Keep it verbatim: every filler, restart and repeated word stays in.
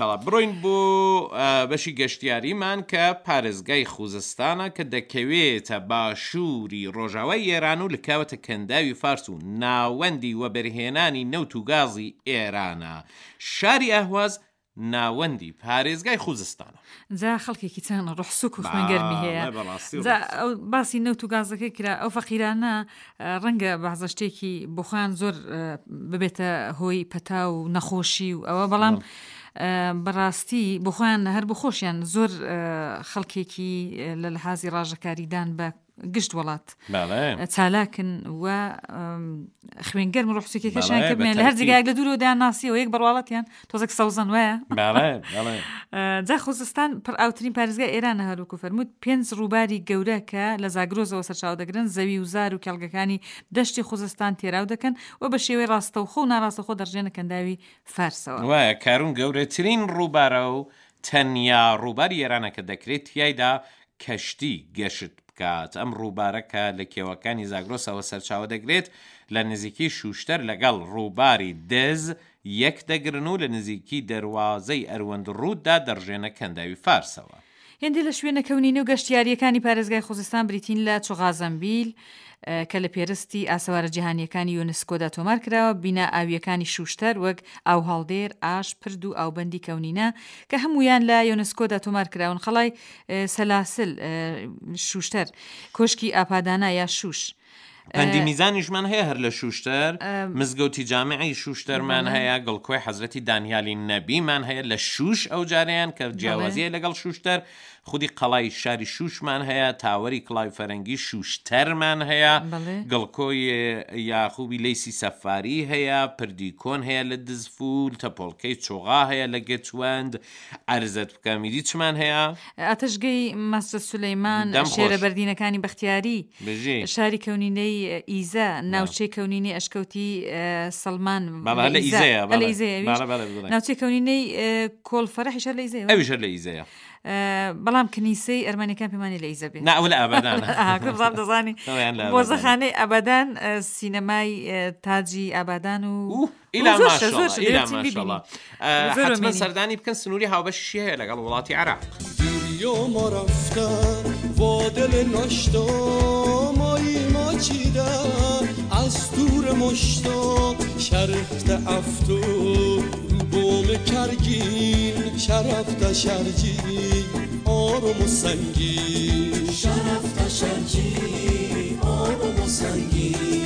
بەڵا بڕۆین بۆ بەشی گەشتیاریمان کە پارێزگای خوزستانە کە دەکەوێتە باشووری ڕۆژاوای ئێران و لکاوەتە کەنداوی فارس و ناوەندی وەبەرهێنانی نەوت و گازی ئێرانە. شاری ئەهواز ناوەندی پارێزگای خوزستانە. جا خەڵکێکی چەند ڕۆحسوک و خوێنگەرمی هەیە. جا ئەو باسی نەوت و گازەکەی کرا، ئەو فەقیرانە ڕەنگە بەعزە شتێکی بۆ خۆیان زۆر ببێتە هۆی پەتا و نەخۆشی و ئەوە، بەڵام بەڕاستی بۆ خۆیان هەر بۆ خۆشیان زۆر خەڵکێکی لە لەحازی ڕاژەکاریدان بە گشت وڵات چالاکن و خوێنگەرم ڕۆحسوکێکەشیان کردێن لە هەر جێگایەک لە دوورەوە دایان ناسیەوە یەک بەڕواڵەتیان تۆزێک سەوزەن وایە. جا خوزستان پڕئاوترین پارێزگای ئێرانە، هەروەکو فەرمووت پێنج ڕووباری گەورە کە لە زاگرۆزەوە سەرچاوە دەگرن زەوی و زار و کێڵگەکانی دەشتی خوزستان تێراو دەکەن و بە شێوەی ڕاستەوخۆ و ناڕاستەوخۆ دەڕژێنە کەنداوی فارسەوە. وایە، کارون گەورەترین ڕووبارە و تەنیا ڕووباری ئێرانە کە دەکرێت تیایدا کەشتی گەشت بکات. ئەم ڕووبارە کە لە کێوەکانی زاگرۆسەوە سەرچاوە دەگرێت لە نزیکی شوشتەر لەگەڵ ڕووباری دز یەک دەگرن و لە نزیکی دەروازەی ئەروەند ڕووددا دەڕژێنە کەنداوی فارسەوە. هێندێک لە شوێنە کەونینە و گەشتیارییەکانی پارێزگای خوزستان بریتین لە چوغازەمبیل کە لە پێرستی ئاسەوارە جیهانیەکانی یونسکۆدا تۆمار کراوە، بینا ئاویەکانی شوشتەر وەک ئاوهەڵدێر، ئاش، پرد و ئاوبەندی کەونینە کە هەمویان لە یونسکۆدا تۆمار کراون، قەڵای سەلاسل شوشتەر، کۆشکی ئاپادانا یا شوش. پەندی میزانیشمان هەیە هەر لە شوشتەر، مزگەوتی جامعی شوشتەرمان هەیە، گڵکۆی حەزرەتی دانیالی نەبیمان هەیە لە شوش ئەو جارەیان کە جیاوازیە لەگەڵ شوشتەر، خودی قەڵای شاری شوشمان هەیە، تاوەری کڵاوی فەرەنگی شوشتەرمان هەیە، گڵکۆی یاخوبی لەیسی سەفاری هەیە، پردی کۆن هەیە لە دزفول، تەپۆڵکەی چۆغا هەیە لە گەچوەند. عەرزت بکەم ئیدی چمان هەیە؟ ئاتەشگەی مەسجد سولەیمان، شێرە بەردینەکانی بەختیاری، شاری کەونینەی ئیزە، ناوچەی کەونینەی ئەشکەوتی سەلمان لە ئیزەیە، ناوچەی کەونینەی کۆڵفەرەحیش هەر لە ئیزەیە، ئەویش هەر لە ئیزەیە. بەڵام کنیسەی ئەرمەنیەکان پێمانی لە ئیزە بێ. نا ئەوە لە ئابادانە. بزانم دەزانی مۆزەخانەی ئابادان، سینەمای تاجی ئابادان و ئیلا ماشەڵڵا، ئیلا ماشەڵڵا. حتمما سەردانی بکەن، سنووری هاوبەشیشی هەیە لەگەڵ وڵاتی عێراق. ما رفتن با دل ناشتا مایی ما چیدن از دور مشتا شرفت افتو رو بوم کرگین شرفت شرجی آروم و سنگین شرفت شرجی آروم و سنگین.